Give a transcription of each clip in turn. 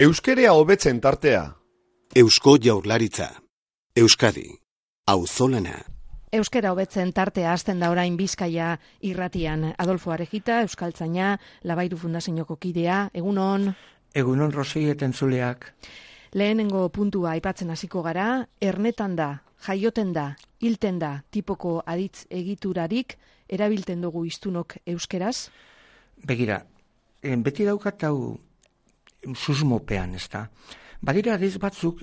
Euskerea hobetzen tartea. Eusko Jaurlaritza. Euskadi. Auzolana. Euskera hobetzen tartea hasten da orain Bizkaia irratian. Adolfo Arejita, euskaltzaina, Labairu Fundazioko kidea. Egunon. Egunon Rosei entzuleak. Lehenengo puntua aipatzen hasiko gara, ernetan da, jaioten da, hilten da tipoko aditz egiturarik erabilten dugu hiztunok euskeraz? Begira, beti daukat hau susmopean, ezta? Badira aditz batzuk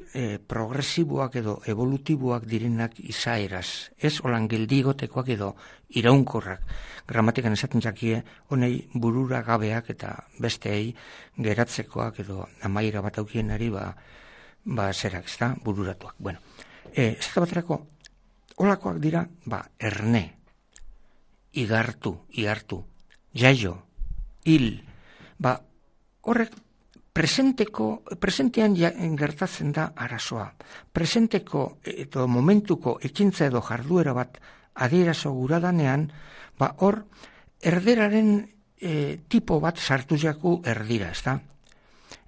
progresiboak edo evolutiboak direnak izaeraz, ez holan geldigotekoak edo iraunkorrak. Gramatikan esaten jakie, honei burura gabeak eta besteei geratzekoak edo amaiera bat aukienari zerak, ezta, bururatuak. Bueno, ez da baterako, holakoak dira, erne, igartu, jaio, hil, horrek presentean gertatzen da arazoa. Presenteko edo momentuko ekintza edo jarduera bat adierazo guradanean, hor erderaren tipo bat sartu jaku erdira, ezta?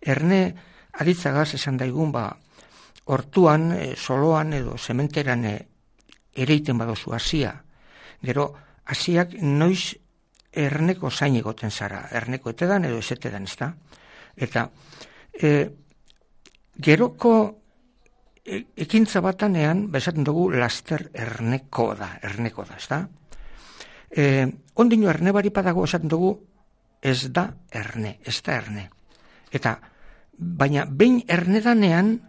Erne aditzagaz esan daigun, hortuan, soloan edo sementeran ereiten badozu hasia. Gero, hasiak noiz erneko zain egoten zara, erneko etedan edo ezetedan, ezta? Eta geroko ekintza batanean, esaten dugu laster erneko da, ezta? Ondino erne baripadago esaten dugu ez da erne. Eta, baina behin ernedanean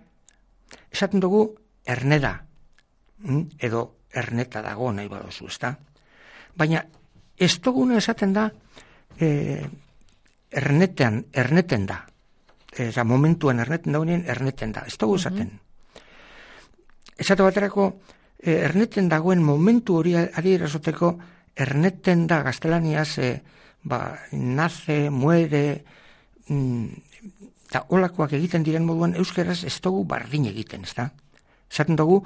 esaten dugu erne da, edo erneta dago nahi badozu, ezta? Baina ez duguna esaten da erneten da. Momentuan erneten daunien erneten da. Ez dugu esaten. Esate baterako, erneten dagoen momentu hori adierazoteko erneten da gaztelaniaz nace, muere, eta holakoak egiten diren moduan euskeraz ez dugu bardin egiten, ez da? Esaten dugu,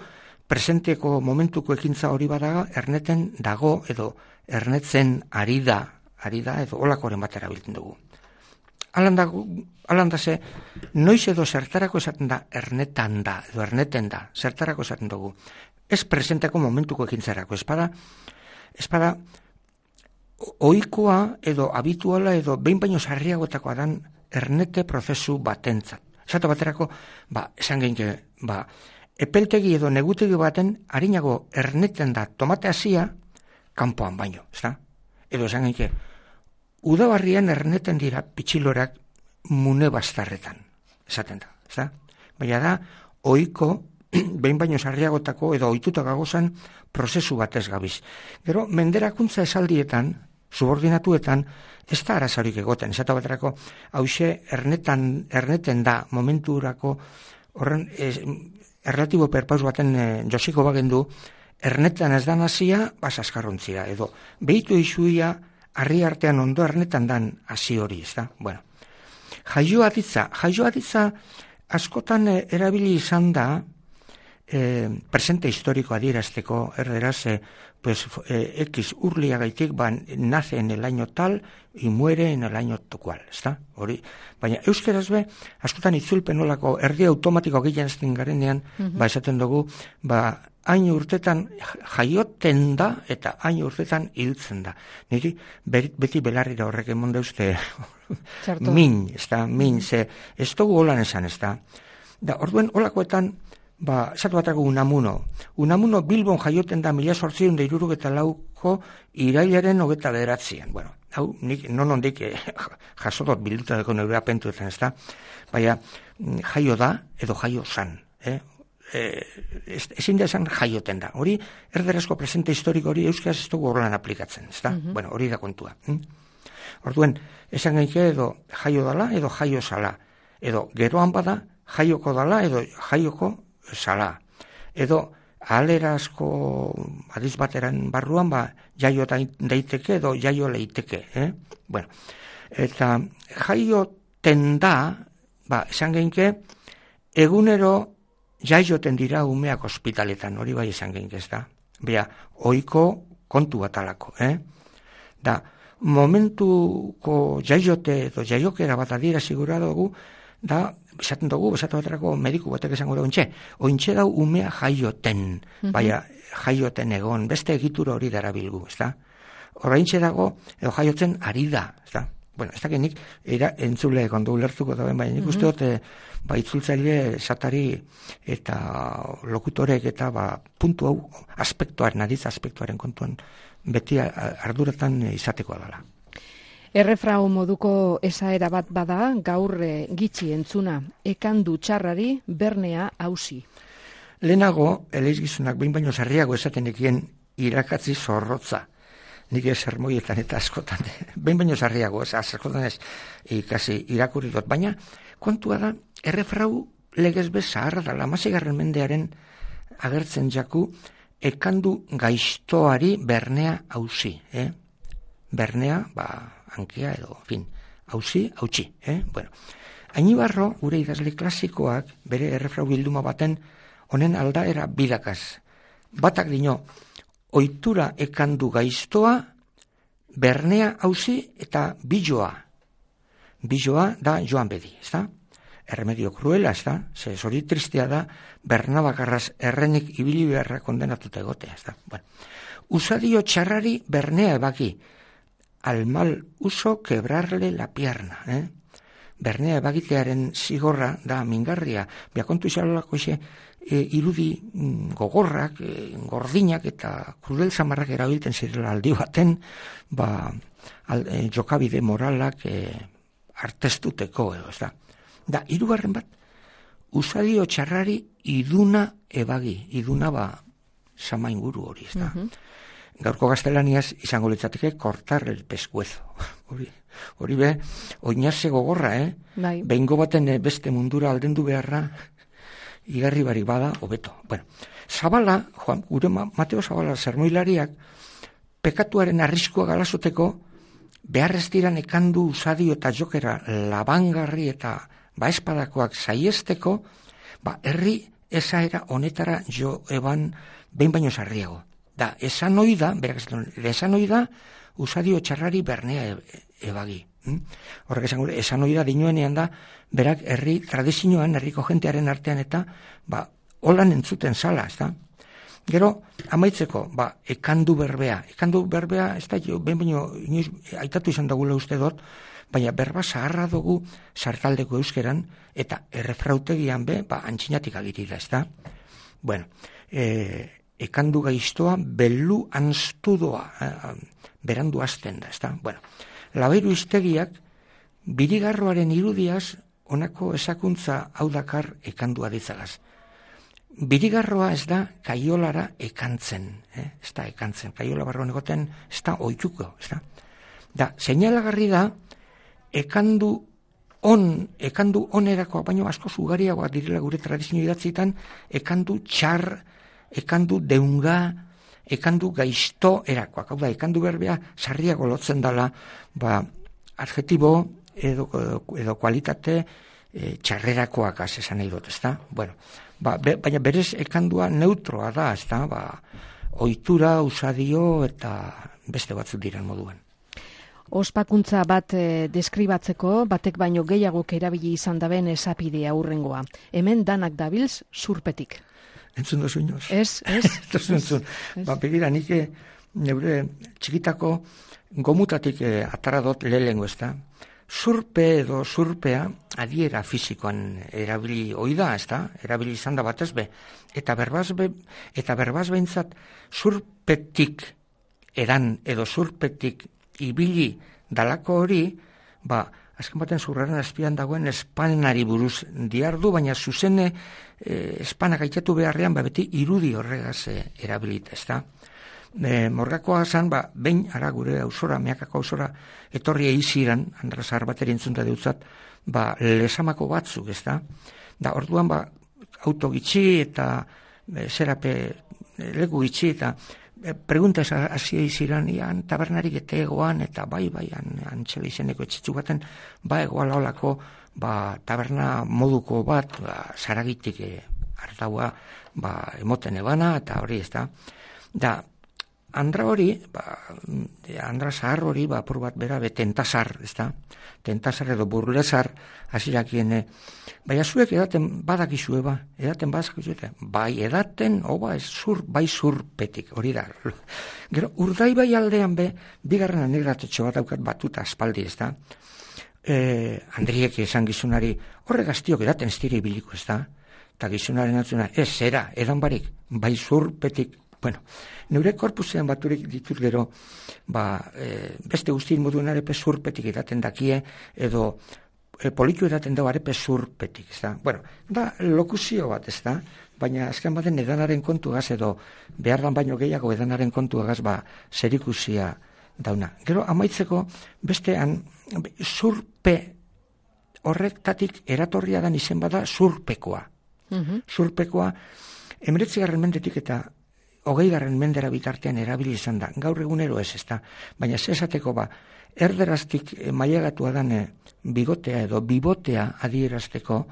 presenteko momentuko ekintza hori badaga, erneten dago edo ernetzen ari da edo holakoren bat erabiltzen dugu. Alanda ze, noiz edo zertarako esaten da ernetan da, edo erneten da, zertarako esaten dugu. Ez presenteko momentuko ekintzarako, espada ohikoa edo habituala edo behin baino sarriagotakoa dan ernete prozesu batentzat. Esate baterako, esan genke, epeltegi edo negutegi baten harinago erneten da tomate hasia kanpoan baino, ezta? Edo esan genke, udabarrian erneten dira pitxilorak mune bastarretan, esaten da, ezta? Baina da, ohiko, behin baino sarriagotako edo ohituta gagozan prozesu batez gabiz. Gero, menderakuntza esaldietan, subordinatuetan, ez da arazorik egoten, esate baterako, hause erneten da momenturako, horren, erlatibo perpaus baten josiko bagendu, ernetan ez da nazia, askarrontzia, edo, behitu izuia, harri artean ondo ernetan dan hasi hori, ez da? Bueno, jaio aditza askotan erabili izan da presente historiko adierazteko erderaz, X urliagaitik nace en el año tal y muere en el año cual, ez da? Hori, baina euskeraz askotan itzulpen olako erdi automatiko gehien ezten garenean, esaten dugu, hain urtetan jaioten da eta hain urtetan hiltzen da. Niri beti belarrira horrek emon dauzte min, ez dugu holan esan, ez da. Da, orduen holakoetan, esatu batako Unamuno Bilbon jaioten da 1864ko irailaren 29. Bueno, hau, nik nondik jasodot bilduta deko neure apentuetan, ez da. Baina, jaio da edo jaio zan, ezin da esan jaioten da. Hori, erderazko presente historiko hori euskaraz ez dugu horrelan aplikatzen, ez da? Bueno, hori da kontua. Orduen, esan gaike edo jaio dala edo jaio zala. Edo geroan bada jaioko dala edo jaioko zala. Edo ahalerazko adiz bateran barruan jaio daiteke edo jaio leiteke. Bueno, eta jaioten da, esan gaike, egunero jaioten dira umeak ospitaletan, hori bai esan genk ez da. Bea, ohiko kontu batalako, Da, momentuko jaiote edo jaiokera bat adierazi gura dugu, da, esaten dugu, esatu baterako mediku batek esango da ointxe dau umea jaioten, baina jaioten egon, beste egitura hori darabilgu, ez da? Oraintxe dago, edo jaiotzen ari da, ez da? Bueno, ez dakit nik, entzule kondo ulertuko dauen, baina nik uste dut, itzultzaile esatari eta lokutorek eta puntu hau aspektuaren, aditz aspektuaren kontuan beti arduratan izateko dela. Errefrau moduko esaera bat bada, gaur gitxi entzuna, ekandu txarrari bernea hausi. Lehenago, eleizgizunak behin baino sarriago esaten ekien irakatzi zorrotza. Nik sermoietan eta askotan, behin baino sarriago, askotan ez ikasi irakurri dut, baina kontua da, errefrau legez bez zaharra da, 16. mendearen agertzen jaku, ekandu gaiztoari bernea hausi. Bernea, hankia edo, hausi, hautsi. Bueno, Ainibarro, gure idazle klasikoak, bere errefrau bilduma baten, honen aldaera bidakaz. Batak dino, ohitura ekandu gaiztoa, bernea hausi eta biloa. Biloa da joan bedi, ez da? Erremedio kruela, ez da? Ze hori tristea da, bernabakarraz errenik ibili beharra kondenatuta egotea, ez da? Bueno, usadio txarrari bernea ebaki, al mal uso quebrarle la pierna, Bernea ebagitearen zigorra da mingarria, biakontu izalolako irudi gogorrak, gordinak eta krudel zamarrak erabiltzen zirela aldi baten, jokabide moralak artestuteko edo, ez da. Da, hirugarren bat, usadio txarrari iduna ebagi, iduna sama inguru hori, ez da. Gaurko gaztelaniaz izango litzateke cortar el pescuezo. Hori be, oinaze gogorra, behingo baten beste mundura aldendu beharra, igarri barik bada, hobeto. Bueno, Zabala, gure Mateo Zabala sermoilariak, pekatuaren arriskua galasoteko, beharrez diran ekandu usadio eta jokera labangarri eta espadakoak saiesteko, herri esaera honetara jo eban behin baino sarriago. Da, esan oida, berak esan oida, usadio txarrari bernea ebagi. Horrek esan oida dinoenean da, berak herri tradizioan, herriko jentearen artean eta, holan entzuten zala, ez da? Gero, amaitzeko, ekandu berbea. Ekandu berbea, ez da, behin baino, aitatu izan dagula uste dut, baina berba zaharra dugu sartaldeko euskeran, eta errefrautegian antxinatik agiri da, ez da? Bueno, ekandu gaiztoa bellu anstudoa, berandu azten da, ez da? Bueno, Labeiru iztegiak, birigarroaren irudiaz, honako esakuntza hau dakar ekandua ditzagaz. Birigarroa ez da kaiolara ekantzen, ez da ekantzen, kaiola barruan egoten ez da oituko, ez da. Da, seinalagarri da, ekandu onerako, baino asko ugariagoak direla gure tradizio idatzitan, ekandu txar, ekandu deunga, ekandu gaizto erakoak. Hau da, ekandu berbea sarriago lotzen dala, adjetibo edo kualitate txarrerakoak esan nahi dut, ez da? Bueno, baina berez ekandua neutroa da, ez da? Ohitura, usadio eta beste batzuk diren moduan. Ospakuntza bat deskribatzeko, batek baino gehiagok erabili izan daben esapidea hurrengoa. Hemen danak dabilz zurpetik. Entzun dozu inoz? Ez. Entzun. Begira, nik neure txikitako gomutatik atara dut lehengo, ez da? Zurpe edo zurpea adiera fisikoan erabili oida, ez da? Erabili izan da batez be. Eta berbaz behintzat zurpetik edan edo zurpetik ibili dalako hori, azken baten zurraren azpian dagoen espanari buruz diardu, baina zuzene espanak aitatu beharrean, beti irudi horregaz erabilit, ez da? Morgakoa zan, behin ara gure ausora, meakako ausora, etorri eiziran, andrazar bateri entzunta deutzat, lesamako batzuk, ez da? Da, orduan, auto gitxi eta zerape leku gitxi eta preguntas hasi eiziran, ian tabernarik etegoan, eta bai, antxela izeneko etxitzu baten, egoala olako, taberna moduko bat, zaragitik hartaua, emoten ebana, eta hori ez da. Da, andra hori, andra zahar hori, apur bat bera, tentasar, ez da? Tentasar edo burlesar, hasirakien, baina zuek edaten badakizue edaten badakizue, bai edaten, bai zurpetik, hori da. Gero, Urdaibai aldean bigarren anekdotatxo bat daukat batuta aspaldi, ez da? Andriek esan gizunari, horre gaztiok edaten ez dira ibiliko, ez da? Eta gizunaren atzuna, zera, edan barik, bai zurpetik. Bueno, neure korpusean baturik ditut gero, beste guztien moduen arepe zurpetik edaten dakie, edo politu edaten dago arepe zurpetik, ez da? Bueno, da lokuzio bat, ez da? Baina azken baten edanaren kontuagaz edo behar dan baino gehiago edanaren kontuagaz zerikusia dauna. Gero amaitzeko bestean zurpe horretatik eratorria dan izen bada zurpekoa. Zurpekoa 19. mendetik eta 20. mendera bitartean erabili izan da. Gaur egunero ez da. Baina zesateko erderaztik mailagatua dan bigotea edo bibotea adierazteko,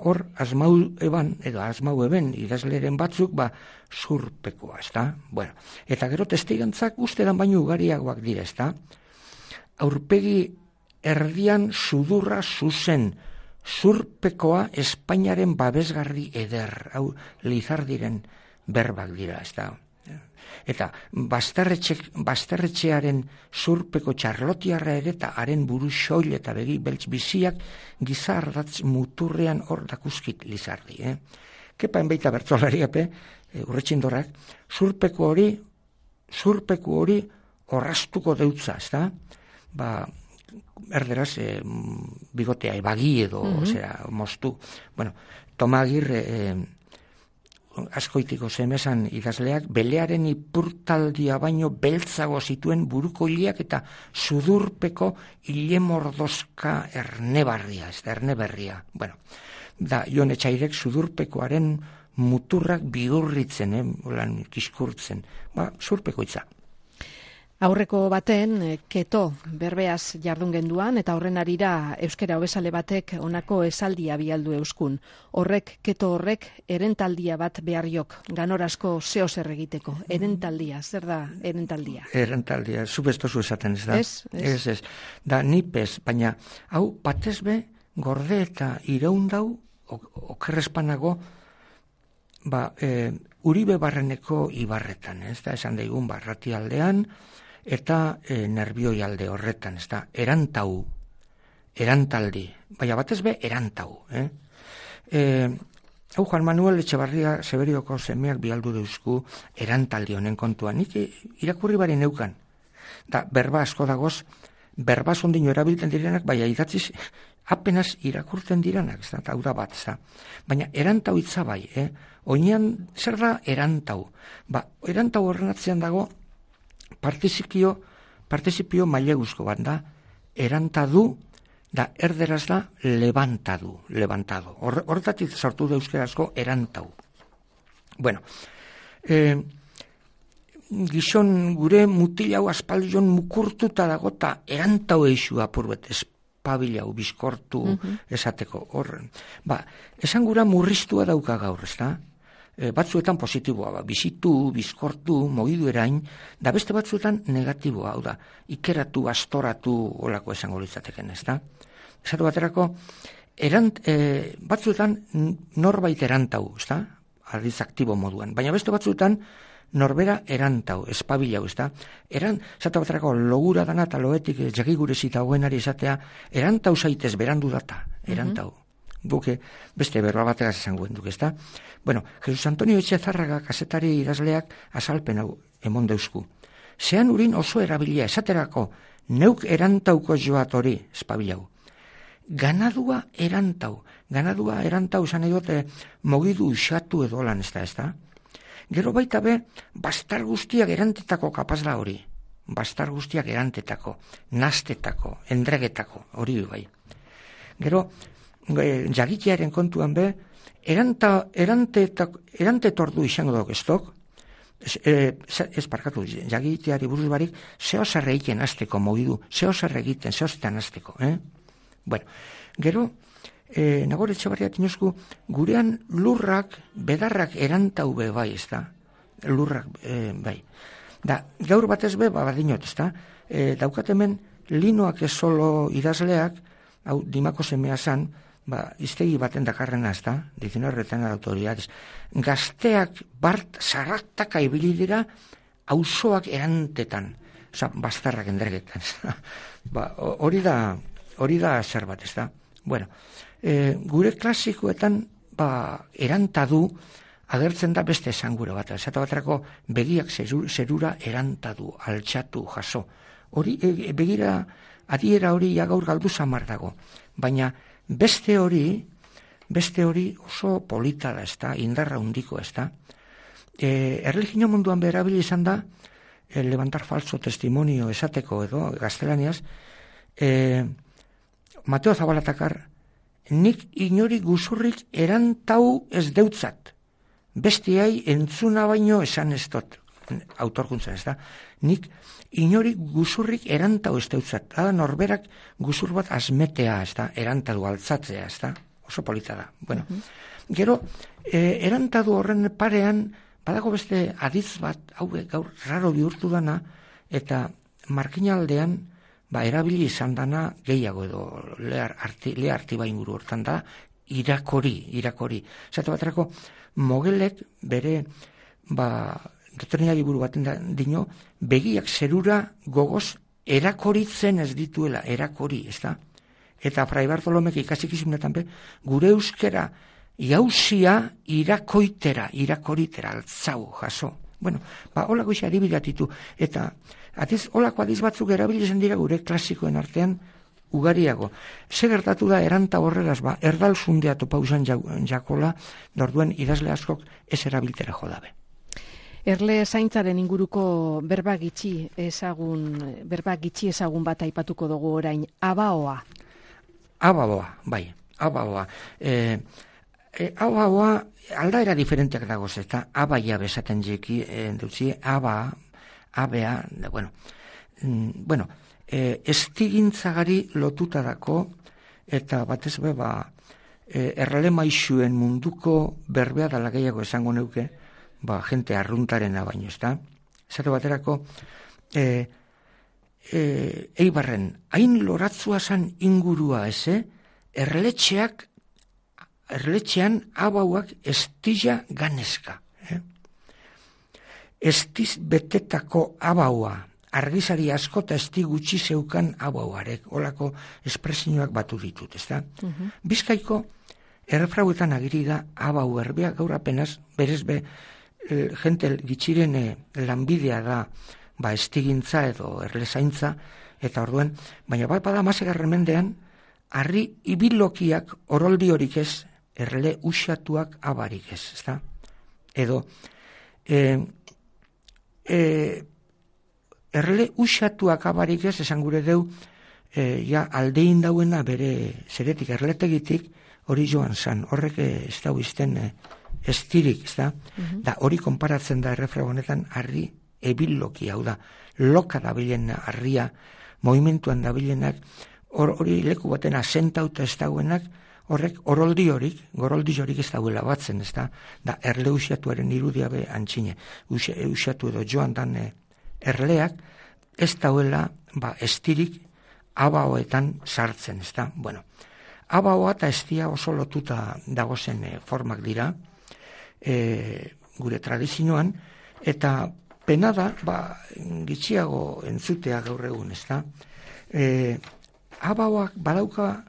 hor asmau eben idazleren batzuk zurpekoa, ez da? Bueno, eta gero testigantzak ustedan baino ugariagoak dira, ez da? Aurpegi erdian sudurra zuzen, zurpekoa Espainiaren babesgarri eder, hau Lizardiren berbak dira, ez da? Eta basterretxearen zurpeko txarlotiarra ere eta haren buru xoil eta begi beltz biziak gizardatz muturrean hor dakuskit Lizardi. Kepaen baita bertzolariape, urretxindorak, zurpeku hori orrastuko deutza, ez da? Erderaz, bigotea ebagi edo, moztu. Bueno, Toma Agirre, askoitiko zemesan idazleak, belearen ipurtaldia baino beltzago zituen buruko hiliak eta sudurpeko hile mordozka ernebarria, ez da, erneberria. Bueno, da, Jon Etxairek sudurpekoaren muturrak bihurritzen, kiskurtzen, zurpeko itza. Aurreko baten, keto berbeaz jardun genduan, eta horren arira euskera hobesale batek honako esaldia bialdu euskun. Keto horrek erentaldia bat beharriok, ganorazko zeo zer egiteko. Erentaldia, zer da erentaldia? Erentaldia, zubestozu esaten, ez da? Ez. Da, nipez, baina, hau, batezbe, gorde eta iraundau, okerrespanago, Uribe Barreneko ibarretan, ez da, esan daigun, Rati aldean, eta nerbioi alde horretan, ez da, erantaldi, baina batez erantau. Hau Juan Manuel Etxebarria Seberioko semeak bialdu deuzku erantaldi honen kontuan, nik irakurri bari neukan, da berba asko dagoz, berba zondino erabiltzen direnak, baina idatziz apenas irakurtzen direnak, ez da, hau da bat, ez da. Baina erantau itza bai, oinean zer da erantau? Erantau horren atzean dago, partizipio maileguzko bat da, erantadu, da erderaz da levantado. Horretatik sortu da euskerazko erantau. Bueno, gizon gure mutilau aspaldion mukurtuta dago eta erantau eixu apurbet, espabilau, bizkortu esateko horren. Esan gura murriztua dauka gaur, ez da? Batzuetan positiboa, bizitu, bizkortu, mogidu erain, da beste batzuetan negatiboa, hau da, ikeratu, astoratu, olako esango litzateken, ez da? Esatu baterako, batzuetan norbait erantau, ez da? Aldiz aktibo moduan, baina beste batzuetan norbera erantau, espabilau, ez da? Esatu baterako, logura dana eta loetik jagigurezita hoenari esatea, erantau zaitez berandu data, erantau. Buke beste berroa bategaz esango duk, ez da? Bueno, Jesus Antonio Etxezarraga kazetari idazleak azalpen hau emon deusku. Zean urin oso erabilia, esaterako, neuk erantauko joat hori, espabilau. Ganadua erantau esan edote mogidu usatu edo lan, ez da? Gero baita bastar guztiak erantetako kapaz da hori. Bastar guztiak erantetako, nastetako, endregetako, hori bai. Gero, jagitearen kontuan erantetordu izango dok ez dok, ez parkatu, jagiteari buruz barik, zeo zer egiten azteko mogidu, zeo zer egiten, zeo zetan azteko. Bueno, gero, Nagore Etxebarria tinozku, gurean lurrak, bedarrak erantau bai, ez da? Lurrak, bai. Da, gaur batez be, badinot, ezta? Daukat hemen, Linoak ez solo idazleak, hau, Dimako semea zan, iztegi baten dakarrena, ezta? 19 retenes de autoridades. Gazteak bart zaraktaka ibili dira, auzoak erantetan, bastarrak endergetan. Hori da zer bat, ezta? Bueno, gure klasikoetan, erantadu, agertzen da beste esangura bat. Esate baterako begiak zerura erantadu, altxatu, jaso. Hori, begira, adiera hori gaur galdu samar dago. Baina beste hori oso polita da, ezta, indarra hundiko, ezta. Erlijio munduan berabili izan da, levantar falso testimonio esateko edo, gaztelaniaz, Mateo Zabalatakar, nik inori guzurrik erantau ez deutzat. Bestiai entzuna baino esan ez dut, autorkuntzan, ez da. Nik inori guzurrik erantau ez deutzat. Da, norberak guzur bat azmetea, ez da, erantadu altzatzea, ez da. Oso polita da. Bueno, gero, erantadu horren parean, badago beste adiz bat, hau gaur raro bihurtu dana, eta markinaldean, erabili izan dana gehiago edo lea artiba inguru hortan da, irakori. Zatu baterako, Mogelek bere, doktrina liburu baten dino, begiak zerura gogoz erakoritzen ez dituela, erakori, ez da? Eta Fray Bartolomek ikasikizunetan be, gure euskera jauzia irakoitera, altzau, jaso. Bueno, holako isa adibidatitu. Eta, holako adiz batzuk erabilizen dira gure klasikoen artean ugariago. Ze gertatu da eranta horregaz, erdal zundea topausan jakola, norduen idazle askok ez erabiltera jodabe. Erle zaintzaren inguruko berba gitxi ezagun bat aipatuko dugu orain, abaoa. Abaoa, bai, abaoa. Abaoa aldaera diferenteak dagoz, eta abaia bezaten jeki, dutzi, abea, bueno, estigintzagari lotuta dako, eta batez be, errale maixuen munduko berbea dala gehiago esango neuke, jente arruntarena baino, ez da? Zatu baterako, Eibarren, hain loratzua zan ingurua, erletxean abauak estilla ganezka. Estiz betetako abaua, argizari asko eta esti gutxi zeukan abauarek, olako espresioak batu ditut, ez da? Bizkaiko, errefrauetan agiri da abau erbea, gaur apenas, berez be, jente gitxiren lanbidea da, estigintza edo erlezaintza, eta orduen, baina bada masegarren mendean, harri ibilokiak oroldi horik ez, erle usatuak abarik ez, ez da? Edo, erle usatuak abarik ez, esan gure deu, aldein dauena bere zeretik erletegitik, hori joan zan, horrek ez da izten estirik, ez da? Da hori konparatzen da errefrago honetan harri ebiloki, hau da, loka dabilen harria, movimentuan dabilenak, hori leku baten asentauta ez dagoenak, horrek goroldi horik ez dauela batzen, ez da? Da erle usiatuaren irudia be antxine, usiatu edo joan dan erleak, ez dauela estirik abaoetan sartzen, ez da? Bueno, abaoa eta estia oso lotuta dagozen formak dira, gure tradizioan, eta pena da, gitxiago entzutea gaur egun, ez da? Abaoak badauka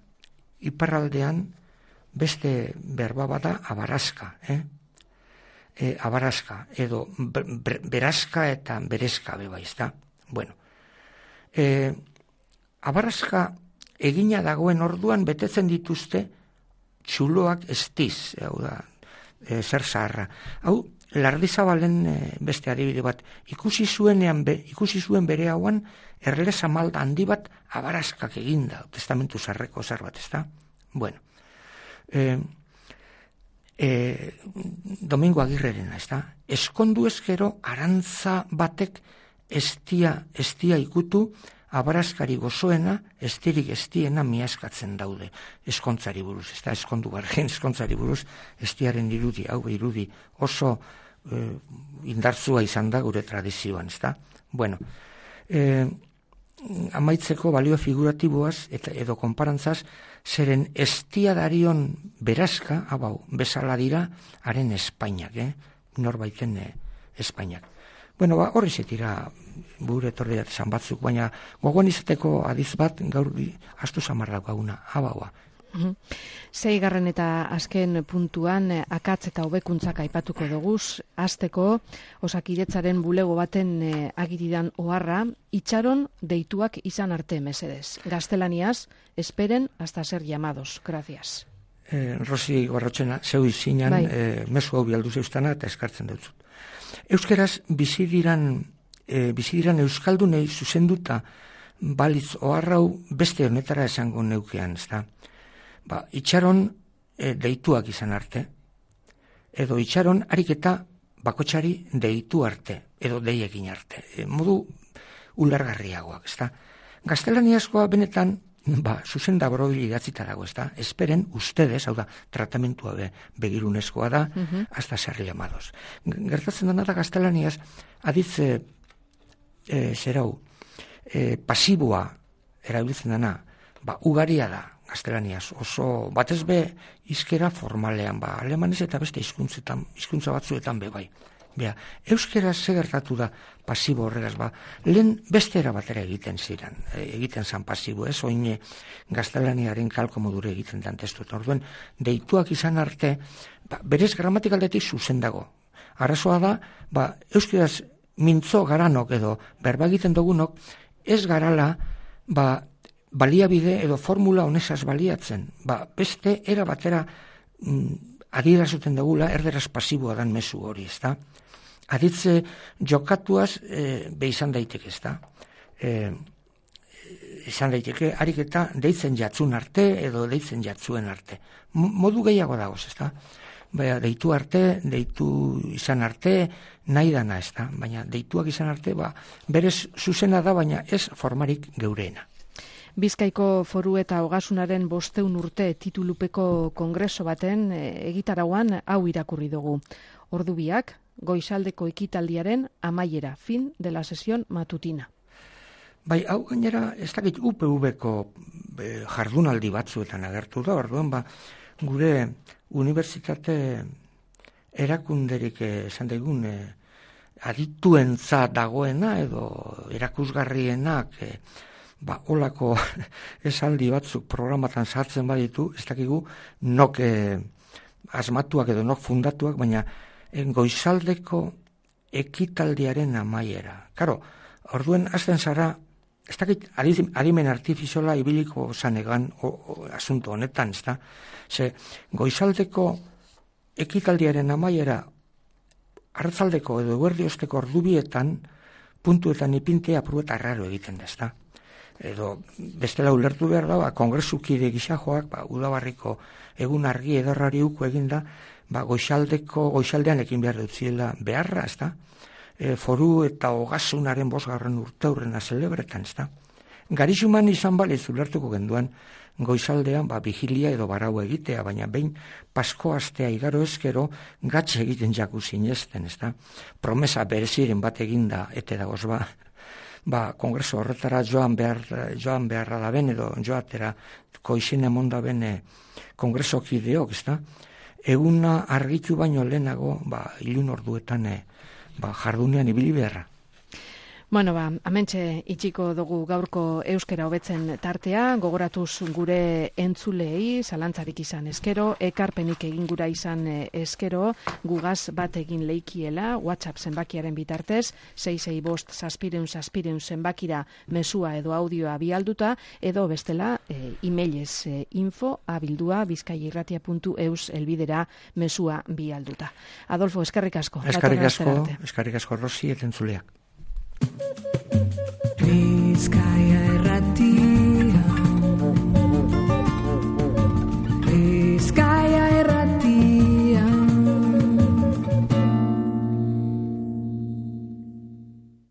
iparraldean beste berba bada abarazka, abarazka, edo berazka eta berezka beba, ez da? Bueno, abarazka egina dagoen orduan betetzen dituzte txuloak estiz, hau da, zer zaharra. Hau, Lardizabalen beste adibide bat, ikusi zuen bere hauan erle zamalda handi bat abarazkak eginda, testamentu zarreko zer bat, ez da? Bueno, Domingo Agirrerena, ez da? Eskondu ezkero arantza batek estia ikutu, abarazkari gozoena, estirik estiena miaskatzen daude eskontzari buruz, ez da, eskondu gargen eskontzari buruz, estiaren irudi, hau irudi oso indartzua izan da gure tradizioan, ezta? Bueno, amaitzeko balio figuratiboaz edo konparantzaz, zeren estiadarion berazka, bezala dira, haren Espainiak, norbaiten Espainiak. Bueno, horri zetira bure etorri esan batzuk, baina gogoan izateko adiz bat gaur astu samarrak gauna, Seigarren eta azken puntuan akatz eta hobekuntzak aipatuko doguz, hasteko Osakidetzaren bulego baten agiridan oharra, itxaron deituak izan arte mesedez. Gaztelaniaz, esperen hasta ser llamados. Gracias. Rosi Barrotxena, zeu izinan, mesu hau bialdu zeustana eta eskartzen dutzut. Euskeraz bizidiran euskaldunei zuzenduta balitz oharrau beste honetara esango neukean, ezta? Itxaron deituak izan arte, edo itxaron ariketa bakotxari deitu arte, edo deiekin arte. Modu ulergarriagoak, ezta? Gaztelaniazkoa benetan, zuzen da borobili idatzita dago, ezta? Esperen ustedes, hau da, tratamentua begirunezkoa da, hasta ser llamados. Gertatzen dena da gaztelaniaz, aditz pasiboa erabiltzen dena, ugaria da, gaztelaniaz, oso batez be izkera formalean, alemanez eta beste hizkuntza batzuetan bai. Euskera ze gertatu da pasibo horregaz, lehen beste era batera egiten zan pasibo, oin gaztelaniaren kalko modure egiten dan testuetan. Orduen, deituak izan arte, berez gramatikaldetik zuzen dago. Arazoa da, euskeraz mintzo garanok edo berba egiten dugunok, ez garala, baliabide edo formula honezaz baliatzen. Beste era batera adierazuten dugula erderaz pasiboa dan mezu hori, ezta? Aditze jokatuaz izan daiteke, ezta? Izan daiteke, ariketa deitzen jatzun arte edo deitzen jatzuen arte. Modu gehiago dagoz, ezta? Deitu arte, deitu izan arte, nahi dana, ezta? Baina deituak izan arte, berez zuzena da, baina ez formarik geureena. Bizkaiko Foru eta Ogasunaren 500 urte titulupeko kongreso baten egitarauan hau irakurri dugu. Ordubiak, goizaldeko ekitaldiaren amaiera, fin de la sesión matutina. Hau gainera, ez dakit UPV-ko jardunaldi batzuetan agertu da, orduan gure unibertsitate erakunderik esan daigun adituentza dagoena edo erakusgarrienak olako esaldi batzuk programatan sartzen baditu, ez dakigu nok asmatuak edo nok fundatuak, baina goizaldeko ekitaldiaren amaiera. Karo, orduen azten zara, ez dakit adimen artifiziola ibiliko zanegan asunto honetan, ez da? Ze goizaldeko ekitaldiaren amaiera hartzaldeko edo eguerdiozteko ordubietan puntuetan ipintea prueta raro egiten da, ez da? Edo bestela ulertu behar da, kongresukide gisajoak, udabarriko egun argi edarrari uko eginda, goizaldean ekin behar dutziela beharra, ez da? Foru eta Ogasunaren 5. urteurrena zelebretan, ez da? Garixuman izan baliz ulertuko genduan, goizaldean vigilia edo barau egitea, baina behin pasko astea igaro ezkero gatxe egiten jaku zinezten, ez da? Promesa bereziren bat eginda, ete dagoz kongreso horretara joan beharra da ben, edo joatera koizien emonda ben kongresokideok, ez da? Eguna argitu baino lehenago, ilun orduetan jardunean ibili beharra. Bueno, hementxe itxiko dugu gaurko euskera hobetzen tartea, gogoratuz gure entzulei, zalantzarik izan eskero, ekarpenik egin gura izan eskero, gugaz bat egin leikiela, WhatsApp zenbakiaren bitartez, 665 zenbakira mesua edo audioa bialduta, edo bestela emailez info@bizkaiairratia.eus elbidera mesua bialduta. Adolfo, eskerrik asko. Eskerrik asko, Rosi, eta entzuleak. Bizkaia